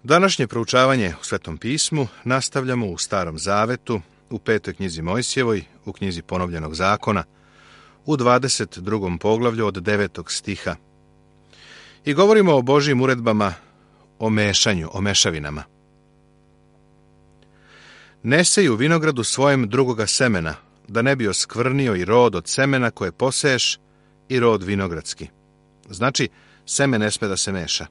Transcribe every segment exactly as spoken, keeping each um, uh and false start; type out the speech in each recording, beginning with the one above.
Današnje proučavanje u Svetom pismu nastavljamo u Starom zavetu, u petoj knjizi Mojsijevoj, u knjizi Ponovljenog zakona, u dvadeset drugom poglavlju od devetog stiha. I govorimo o Božjim uredbama, o mešanju, o mešavinama. Ne sej u vinogradu svojem drugoga semena, da ne bi oskvrnio i rod od semena koje poseješ i rod vinogradski. Znači, seme ne sme da se meša.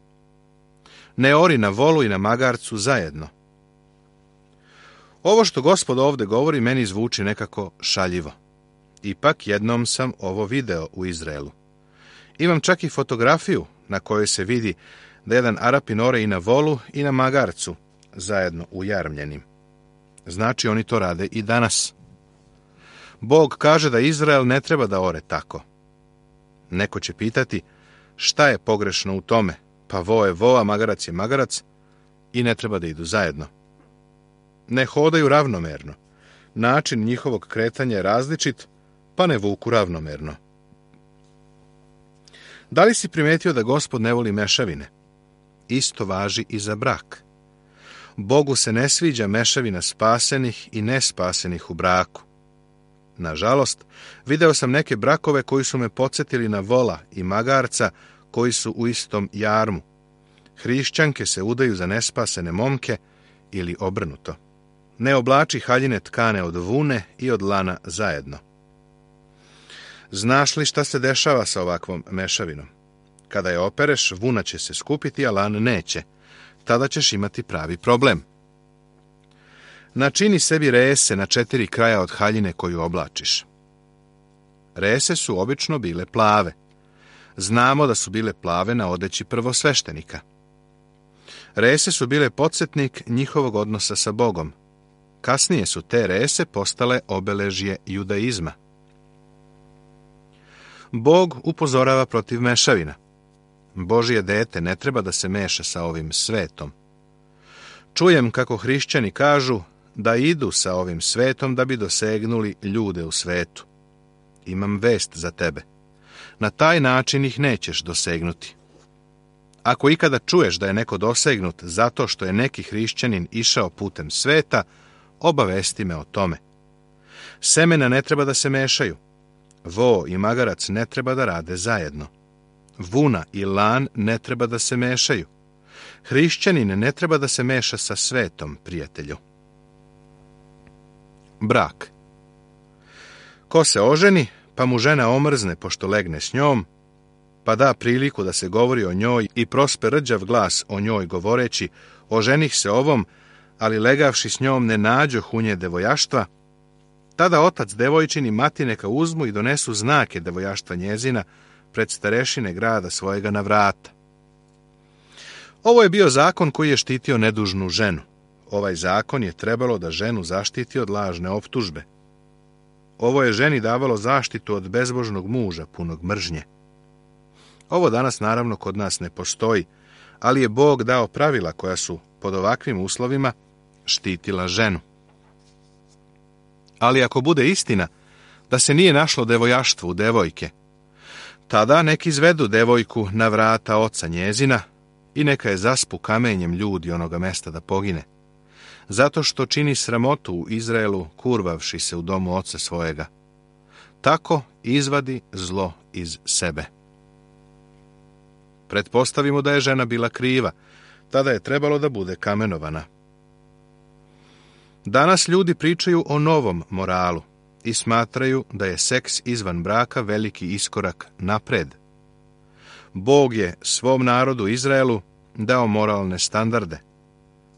Ne ori na volu i na magarcu zajedno. Ovo što Gospod ovdje govori meni zvuči nekako šaljivo. Ipak jednom sam ovo video u Izraelu. Imam čak i fotografiju na kojoj se vidi da jedan Arapin ore i na volu i na magarcu, zajedno ujarmljenim. Znači oni to rade i danas. Bog kaže da Izrael ne treba da ore tako. Neko će pitati šta je pogrešno u tome, pa vo je vo, a magarac je magarac i ne treba da idu zajedno. Ne hodaju ravnomerno. Način njihovog kretanja je različit, pa ne vuku ravnomerno. Da li si primetio da Gospod ne voli mešavine? Isto važi i za brak. Bogu se ne sviđa mešavina spasenih i nespasenih u braku. Nažalost, video sam neke brakove koji su me podsjetili na vola i magarca koji su u istom jarmu. Hrišćanke se udaju za nespasene momke ili obrnuto. Ne oblači haljine tkane od vune i od lana zajedno. Znaš li šta se dešava sa ovakvom mešavinom? Kada je opereš, vuna će se skupiti, a lan neće. Tada ćeš imati pravi problem. Načini sebi rese na četiri kraja od haljine koju oblačiš. Rese su obično bile plave. Znamo da su bile plave na odeći prvosveštenika. Rese su bile podsjetnik njihovog odnosa sa Bogom. Kasnije su te rese postale obeležje judaizma. Bog upozorava protiv mešavina. Božje dete ne treba da se meša sa ovim svetom. Čujem kako hrišćani kažu da idu sa ovim svetom da bi dosegnuli ljude u svetu. Imam vest za tebe. Na taj način ih nećeš dosegnuti. Ako ikada čuješ da je neko dosegnut zato što je neki hrišćanin išao putem sveta, obavesti me o tome. Semena ne treba da se mešaju. Vo i magarac ne treba da rade zajedno. Vuna i lan ne treba da se mešaju. Hrišćanin ne treba da se meša sa svetom, prijatelju. Brak. Ko se oženi, pa mu žena omrzne pošto legne s njom, pa da priliku da se govori o njoj i prospe rđav glas o njoj govoreći, oženih se ovom, ali legavši s njom ne nađoh u nje devojaštva, tada otac devojčin i mati neka uzmu i donesu znake devojaštva njezina pred starešine grada svojega na vrata. Ovo je bio zakon koji je štitio nedužnu ženu. Ovaj zakon je trebalo da ženu zaštiti od lažne optužbe. Ovo je ženi davalo zaštitu od bezbožnog muža, punog mržnje. Ovo danas naravno kod nas ne postoji, ali je Bog dao pravila koja su pod ovakvim uslovima štitila ženu. Ali ako bude istina da se nije našlo devojaštvo u devojke, tada nek izvedu devojku na vrata oca njezina i neka je zaspu kamenjem ljudi onoga mesta da pogine, zato što čini sramotu u Izraelu kurvavši se u domu oca svojega. Tako izvadi zlo iz sebe. Pretpostavimo da je žena bila kriva, tada je trebalo da bude kamenovana. Danas ljudi pričaju o novom moralu i smatraju da je seks izvan braka veliki iskorak napred. Bog je svom narodu Izraelu dao moralne standarde.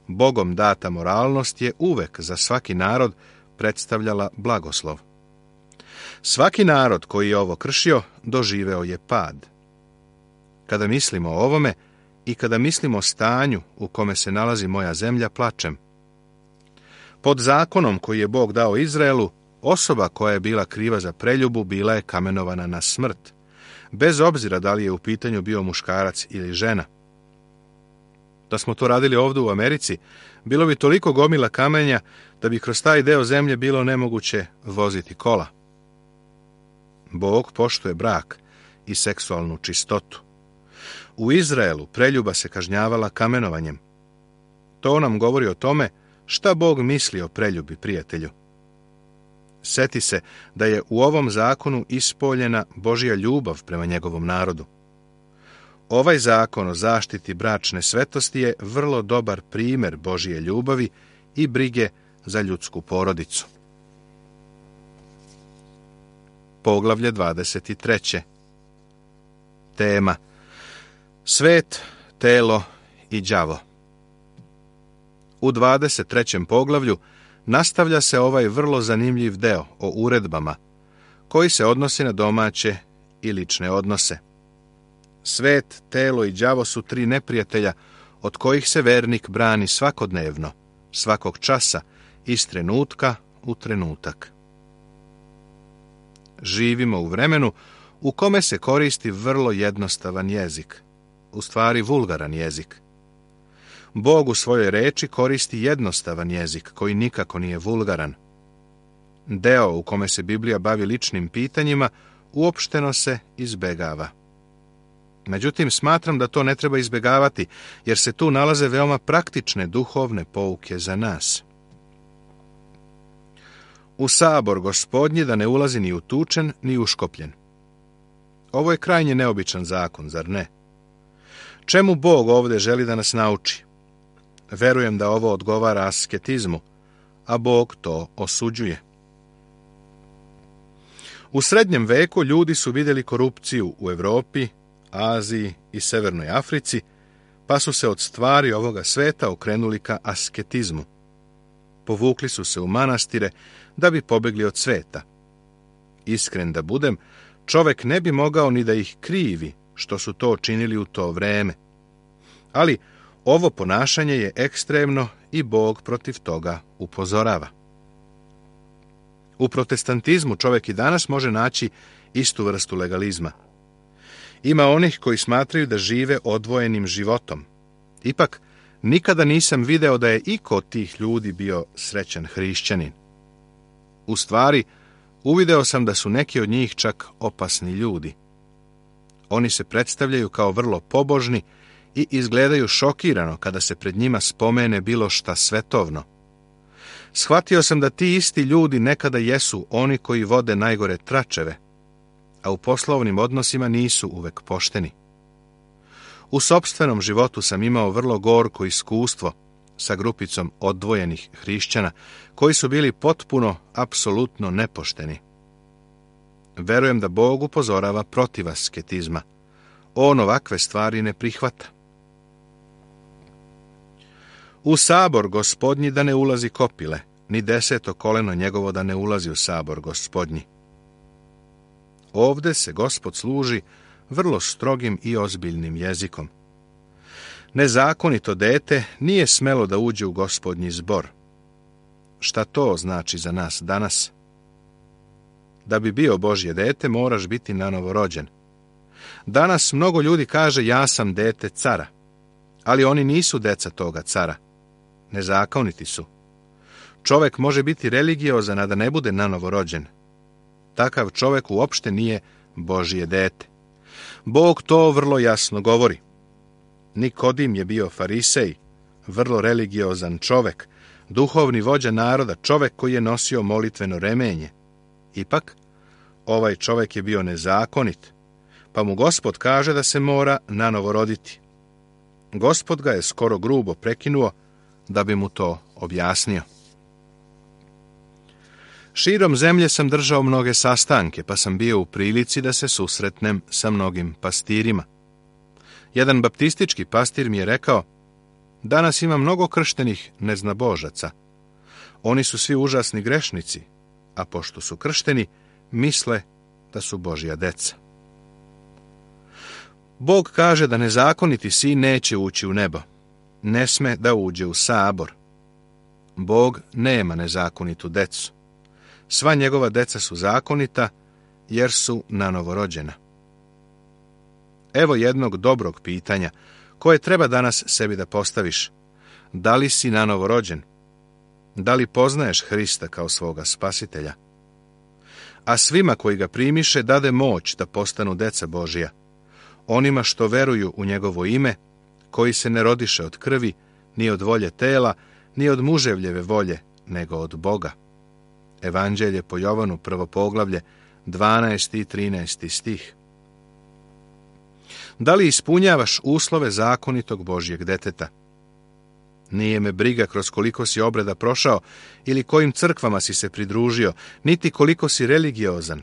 Bogom data moralnost je uvek za svaki narod predstavljala blagoslov. Svaki narod koji je ovo kršio doživeo je pad. Kada mislimo o ovome i kada mislimo o stanju u kome se nalazi moja zemlja, plačem. Pod zakonom koji je Bog dao Izraelu, osoba koja je bila kriva za preljubu bila je kamenovana na smrt, bez obzira da li je u pitanju bio muškarac ili žena. Da smo to radili ovdje u Americi, bilo bi toliko gomila kamenja da bi kroz taj deo zemlje bilo nemoguće voziti kola. Bog poštuje brak i seksualnu čistotu. U Izraelu preljuba se kažnjavala kamenovanjem. To nam govori o tome šta Bog misli o preljubi, prijatelju. Seti se da je u ovom zakonu ispoljena Božja ljubav prema njegovom narodu. Ovaj zakon o zaštiti bračne svetosti je vrlo dobar primjer Božje ljubavi i brige za ljudsku porodicu. Poglavlje dvadeset tri. Tema: Svet, telo i đavo. U dvadeset trećem poglavlju nastavlja se ovaj vrlo zanimljiv deo o uredbama, koji se odnosi na domaće i lične odnose. Svet, telo i đavo su tri neprijatelja od kojih se vernik brani svakodnevno, svakog časa, iz trenutka u trenutak. Živimo u vremenu u kome se koristi vrlo jednostavan jezik, u stvari vulgaran jezik. Bog u svojoj reči koristi jednostavan jezik koji nikako nije vulgaran. Deo u kome se Biblija bavi ličnim pitanjima uopšteno se izbegava. Međutim, smatram da to ne treba izbegavati, jer se tu nalaze veoma praktične duhovne pouke za nas. U sabor Gospodnji da ne ulazi ni utučen, ni uškopljen. Ovo je krajnje neobičan zakon, zar ne? Čemu Bog ovdje želi da nas nauči? Verujem da ovo odgovara asketizmu, a Bog to osuđuje. U srednjem veku ljudi su vidjeli korupciju u Europi, Aziji i Severnoj Africi, pa su se od stvari ovoga sveta okrenuli ka asketizmu. Povukli su se u manastire da bi pobegli od sveta. Iskren da budem, čovek ne bi mogao ni da ih krivi što su to činili u to vreme. Ali ovo ponašanje je ekstremno i Bog protiv toga upozorava. U protestantizmu čovjek i danas može naći istu vrstu legalizma. Ima onih koji smatraju da žive odvojenim životom. Ipak, nikada nisam video da je iko od tih ljudi bio srećan hrišćanin. U stvari, uvideo sam da su neki od njih čak opasni ljudi. Oni se predstavljaju kao vrlo pobožni i izgledaju šokirano kada se pred njima spomene bilo šta svetovno. Shvatio sam da ti isti ljudi nekada jesu oni koji vode najgore tračeve, a u poslovnim odnosima nisu uvek pošteni. U sopstvenom životu sam imao vrlo gorko iskustvo sa grupicom odvojenih hrišćana koji su bili potpuno, apsolutno nepošteni. Verujem da Bog upozorava protiv asketizma. On ovakve stvari ne prihvata. U sabor Gospodnji da ne ulazi kopile, ni deseto koleno njegovo da ne ulazi u sabor Gospodnji. Ovde se Gospod služi vrlo strogim i ozbiljnim jezikom. Nezakonito dete nije smelo da uđe u Gospodnji zbor. Šta to znači za nas danas? Da bi bio Božje dete, moraš biti nanovo rođen. Danas mnogo ljudi kaže ja sam dete cara, ali oni nisu deca toga cara. Nezakoniti su. Čovek može biti religiozan, a da ne bude nanovo rođen. Takav čovek uopšte nije Božje dete. Bog to vrlo jasno govori. Nikodim je bio farisej, vrlo religiozan čovek, duhovni vođa naroda, čovek koji je nosio molitveno remenje. Ipak, ovaj čovek je bio nezakonit, pa mu Gospod kaže da se mora nanovo roditi. Gospod ga je skoro grubo prekinuo da bi mu to objasnio. Širom zemlje sam držao mnoge sastanke, pa sam bio u prilici da se susretnem sa mnogim pastirima. Jedan baptistički pastir mi je rekao, danas ima mnogo krštenih neznabožaca. Oni su svi užasni grešnici, a pošto su kršteni, misle da su Božja deca. Bog kaže da nezakoniti sin neće ući u nebo. Ne sme da uđe u sabor. Bog nema nezakonitu decu. Sva njegova deca su zakonita, jer su nanovorođena. Evo jednog dobrog pitanja, koje treba danas sebi da postaviš. Da li si nanovorođen? Da li poznaješ Hrista kao svoga spasitelja? A svima koji ga primiše dade moć da postanu deca Božija, onima što veruju u njegovo ime, koji se ne rodiše od krvi, ni od volje tela, ni od muževljeve volje, nego od Boga. Evanđelje po Jovanu, prvo poglavlje, dvanaesti i trinaesti stih. Da li ispunjavaš uslove zakonitog Božjeg deteta? Nije me briga kroz koliko si obreda prošao ili kojim crkvama si se pridružio, niti koliko si religiozan.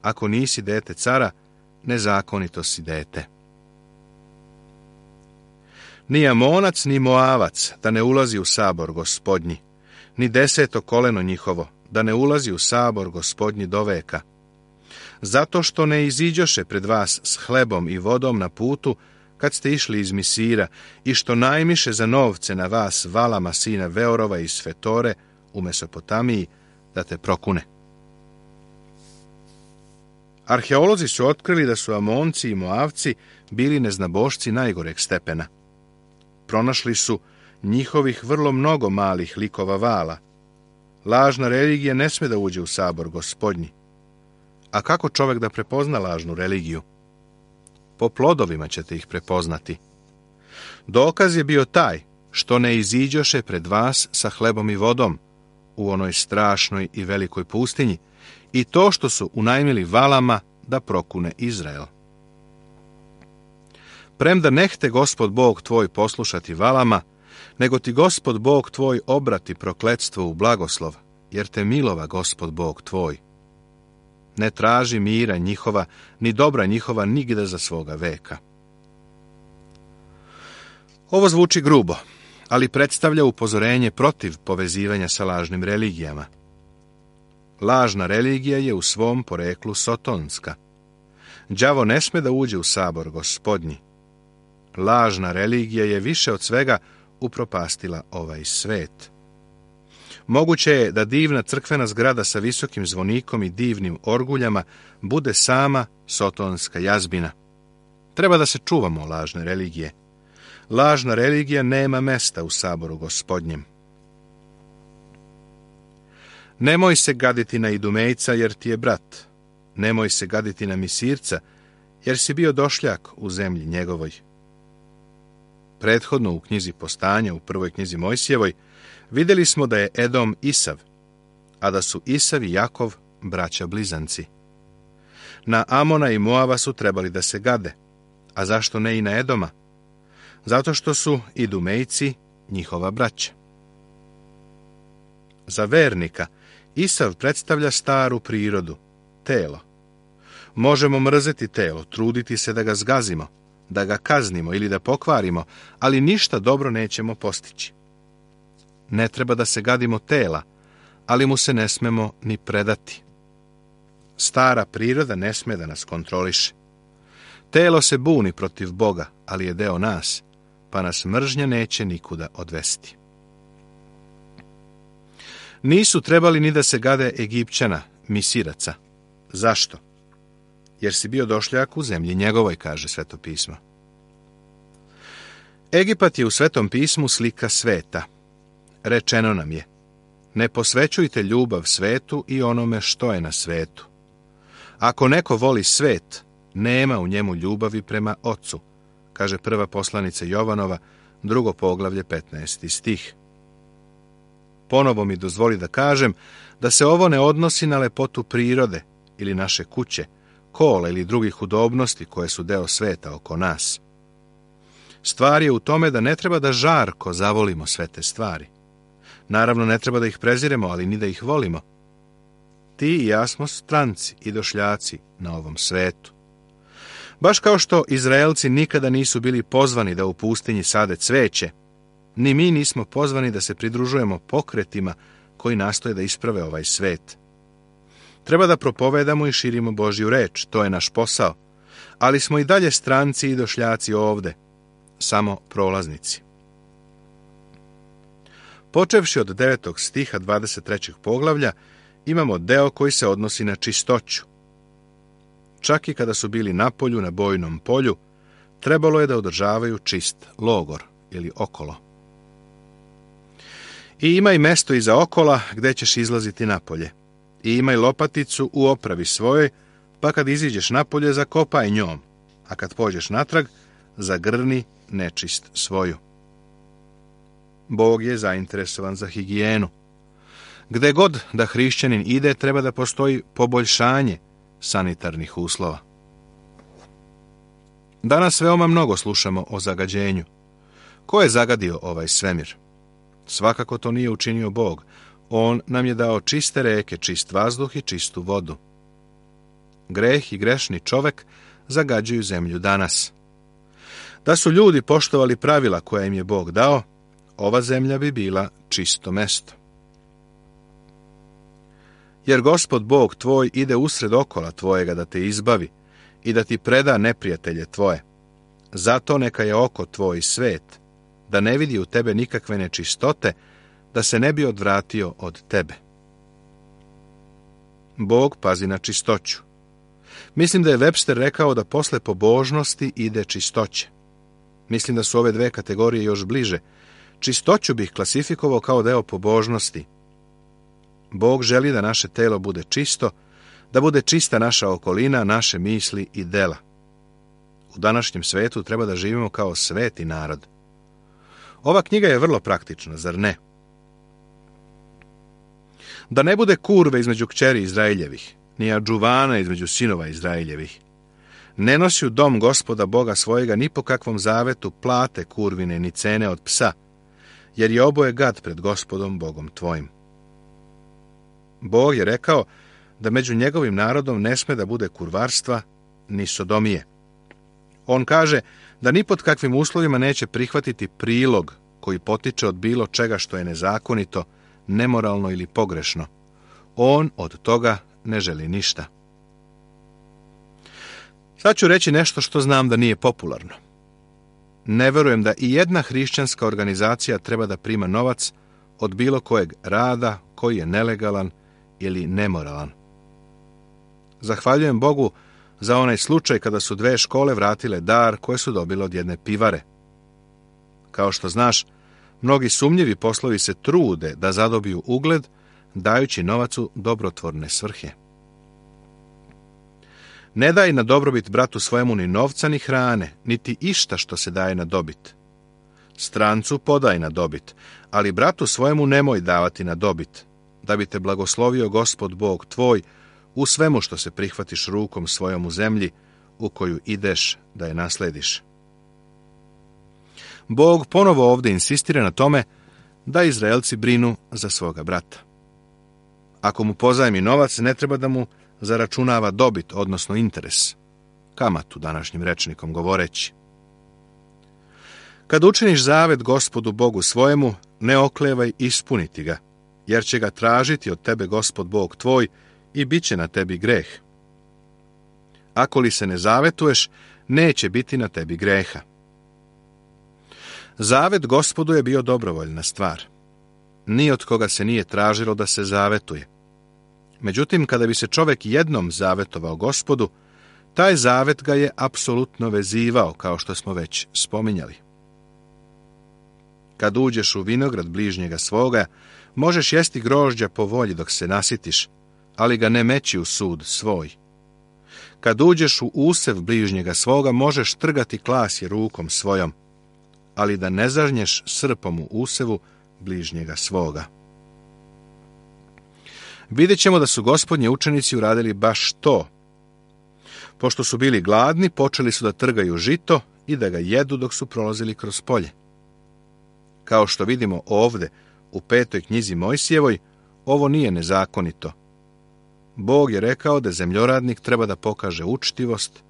Ako nisi dete cara, nezakonito si dete. Ni Amonac, ni Moavac da ne ulazi u sabor Gospodnji, ni deseto koleno njihovo da ne ulazi u sabor Gospodnji do veka. Zato što ne iziđoše pred vas s hlebom i vodom na putu, kad ste išli iz Misira, i što najmiše za novce na vas Valama sina Veorova iz Fetore u Mesopotamiji, da te prokune. Arheolozi su otkrili da su Amonci i Moavci bili neznabošci najgoreg stepena. Pronašli su njihovih vrlo mnogo malih likova vala. Lažna religija ne sme da uđe u sabor Gospodnji. A kako čovjek da prepozna lažnu religiju? Po plodovima ćete ih prepoznati. Dokaz je bio taj što ne iziđoše pred vas sa hlebom i vodom u onoj strašnoj i velikoj pustinji i to što su unajmili Valama da prokune Izrael. Premda nehte Gospod Bog tvoj poslušati Valama, nego ti Gospod Bog tvoj obrati prokletstvo u blagoslov, jer te milova Gospod Bog tvoj. Ne traži mira njihova, ni dobra njihova nigde za svoga veka. Ovo zvuči grubo, ali predstavlja upozorenje protiv povezivanja sa lažnim religijama. Lažna religija je u svom poreklu sotonska. Đavo ne sme da uđe u sabor Gospodnji. Lažna religija je više od svega upropastila ovaj svet. Moguće je da divna crkvena zgrada sa visokim zvonikom i divnim orguljama bude sama sotonska jazbina. Treba da se čuvamo lažne religije. Lažna religija nema mesta u saboru Gospodnjem. Nemoj se gaditi na Idumejca, jer ti je brat. Nemoj se gaditi na Misirca, jer si bio došljak u zemlji njegovoj. Prethodno u knjizi Postanja, u prvoj knjizi Mojsijevoj, vidjeli smo da je Edom Isav, a da su Isav i Jakov braća blizanci. Na Amona i Moava su trebali da se gade, a zašto ne i na Edoma? Zato što su Idumejci njihova braća. Za vernika Isav predstavlja staru prirodu, telo. Možemo mrzeti telo, truditi se da ga zgazimo, da ga kaznimo ili da pokvarimo, ali ništa dobro nećemo postići. Ne treba da se gadimo tela, ali mu se ne smemo ni predati. Stara priroda ne sme da nas kontroliše. Telo se buni protiv Boga, ali je deo nas, pa nas mržnja neće nikuda odvesti. Nisu trebali ni da se gade Egipćana, Misiraca. Zašto? Jer si bio došljak u zemlji njegovoj, kaže Sveto pismo. Egipat je u Svetom pismu slika sveta. Rečeno nam je: ne posvećujte ljubav svetu i onome što je na svetu. Ako neko voli svet, nema u njemu ljubavi prema Ocu, kaže prva poslanica Jovanova, drugo poglavlje, petnaesti stih. Ponovo mi dozvoli da kažem da se ovo ne odnosi na lepotu prirode ili naše kuće, kola ili drugih udobnosti koje su deo sveta oko nas. Stvar je u tome da ne treba da žarko zavolimo sve te stvari. Naravno, ne treba da ih preziremo, ali ni da ih volimo. Ti i ja smo stranci i došljaci na ovom svetu. Baš kao što Izraelci nikada nisu bili pozvani da u pustinji sade cveće, ni mi nismo pozvani da se pridružujemo pokretima koji nastoje da isprave ovaj svet. Treba da propovedamo i širimo Božju reč, to je naš posao, ali smo i dalje stranci i došljaci ovde, samo prolaznici. Počevši od devetog stiha dvadeset trećeg poglavlja, imamo deo koji se odnosi na čistoću. Čak i kada su bili na polju, na bojnom polju, trebalo je da održavaju čist logor ili okolo. I imaj mesto iza okola gde ćeš izlaziti napolje. I imaj lopaticu u opravi svojoj, pa kad iziđeš napolje, zakopaj njom, a kad pođeš natrag, zagrni nečist svoju. Bog je zainteresovan za higijenu. Gde god da hrišćanin ide, treba da postoji poboljšanje sanitarnih uslova. Danas veoma mnogo slušamo o zagađenju. Ko je zagadio ovaj svemir? Svakako to nije učinio Bog. On nam je dao čiste reke, čist vazduh i čistu vodu. Greh i grešni čovek zagađuju zemlju danas. Da su ljudi poštovali pravila koja im je Bog dao, ova zemlja bi bila čisto mesto. Jer Gospod Bog tvoj ide usred okola tvojega da te izbavi i da ti preda neprijatelje tvoje. Zato neka je oko tvoj svet, da ne vidi u tebe nikakve nečistote, da se ne bi odvratio od tebe. Bog pazi na čistoću. Mislim da je Webster rekao da posle pobožnosti ide čistoće. Mislim da su ove dve kategorije još bliže. Čistoću bih klasifikovao kao deo pobožnosti. Bog želi da naše telo bude čisto, da bude čista naša okolina, naše misli i dela. U današnjem svetu treba da živimo kao sveti narod. Ova knjiga je vrlo praktična, zar ne? Da ne bude kurve između kćeri Izraeljevih, ni adžuvana između sinova Izraeljevih. Ne nosi u dom Gospoda Boga svojega ni po kakvom zavetu plate kurvine ni cene od psa, jer je oboje gad pred Gospodom Bogom tvojim. Bog je rekao da među njegovim narodom ne sme da bude kurvarstva ni sodomije. On kaže da ni pod kakvim uslovima neće prihvatiti prilog koji potiče od bilo čega što je nezakonito, nemoralno ili pogrešno. On od toga ne želi ništa. Sad ću reći nešto što znam da nije popularno. Ne verujem da i jedna hrišćanska organizacija treba da prima novac od bilo kojeg rada koji je nelegalan ili nemoralan. Zahvaljujem Bogu za onaj slučaj kada su dve škole vratile dar koje su dobile od jedne pivare. Kao što znaš, mnogi sumnjivi poslovi se trude da zadobiju ugled, dajući novac u dobrotvorne svrhe. Ne daj na dobrobit bratu svojemu ni novca ni hrane, niti išta što se daje na dobit. Strancu podaj na dobit, ali bratu svojemu nemoj davati na dobit, da bi te blagoslovio Gospod Bog tvoj u svemu što se prihvatiš rukom svojom u zemlji, u koju ideš da je naslediš. Bog ponovo ovdje insistira na tome da Izraelci brinu za svoga brata. Ako mu pozajmi novac, ne treba da mu zaračunava dobit, odnosno interes, kamatu današnjim rečnikom govoreći. Kad učiniš zavet Gospodu Bogu svojemu, ne oklevaj ispuniti ga, jer će ga tražiti od tebe Gospod Bog tvoj i bit će na tebi greh. Ako li se ne zavetuješ, neće biti na tebi greha. Zavet Gospodu je bio dobrovoljna stvar. Ni od koga se nije tražilo da se zavetuje. Međutim, kada bi se čovjek jednom zavetovao Gospodu, taj zavet ga je apsolutno vezivao, kao što smo već spominjali. Kad uđeš u vinograd bližnjega svoga, možeš jesti grožđa po volji dok se nasitiš, ali ga ne meći u sud svoj. Kad uđeš u usev bližnjega svoga, možeš trgati klasje rukom svojom, ali da ne zažnješ srpom u usevu bližnjega svoga. Vidjet ćemo da su gospodnji učenici uradili baš to. Pošto su bili gladni, počeli su da trgaju žito i da ga jedu dok su prolazili kroz polje. Kao što vidimo ovde, u petoj knjizi Mojsijevoj, ovo nije nezakonito. Bog je rekao da zemljoradnik treba da pokaže učtivost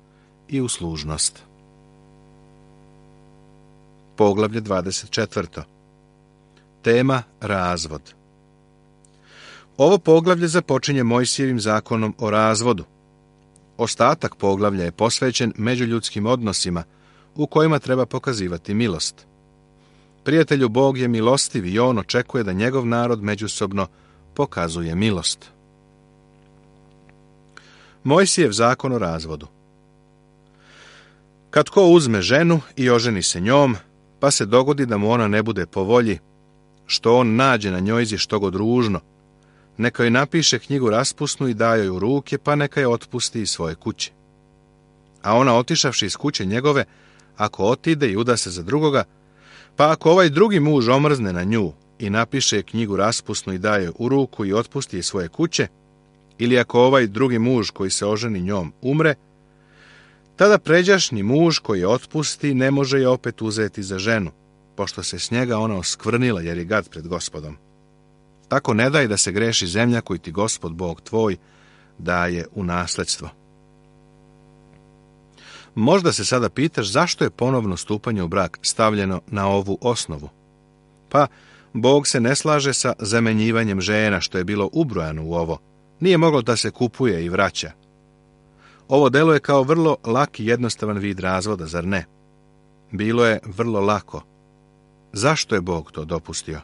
i uslužnost. Poglavlje dvadeset četvrto. Tema razvod. Ovo poglavlje započinje Mojsijevim zakonom o razvodu. Ostatak poglavlja je posvećen međuljudskim odnosima u kojima treba pokazivati milost. Prijatelju, Bog je milostiv i on očekuje da njegov narod međusobno pokazuje milost. Mojsijev zakon o razvodu. Kad ko uzme ženu i oženi se njom, pa se dogodi da mu ona ne bude po volji, što on nađe na njojzi što god ružno, neka joj napiše knjigu raspusnu i daje joj u ruke, pa neka je otpusti iz svoje kuće. A ona, otišavši iz kuće njegove, ako otide i uda se za drugoga, Pa ako ovaj drugi muž omrzne na nju i napiše knjigu raspusnu i daje u ruku i otpusti je svoje kuće, ili ako ovaj drugi muž koji se oženi njom umre, tada pređašnji muž koji je otpusti ne može je opet uzeti za ženu, pošto se s njega ona oskvrnila jer je gad pred Gospodom. Tako ne daj da se greši zemlja koju ti Gospod Bog tvoj daje u nasledstvo. Možda se sada pitaš zašto je ponovno stupanje u brak stavljeno na ovu osnovu. Pa, Bog se ne slaže sa zamenjivanjem žena što je bilo ubrojano u ovo. Nije moglo da se kupuje i vraća. Ovo delo je kao vrlo laki jednostavan vid razvoda, zar ne? Bilo je vrlo lako. Zašto je Bog to dopustio?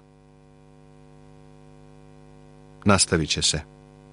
Nastavit će se.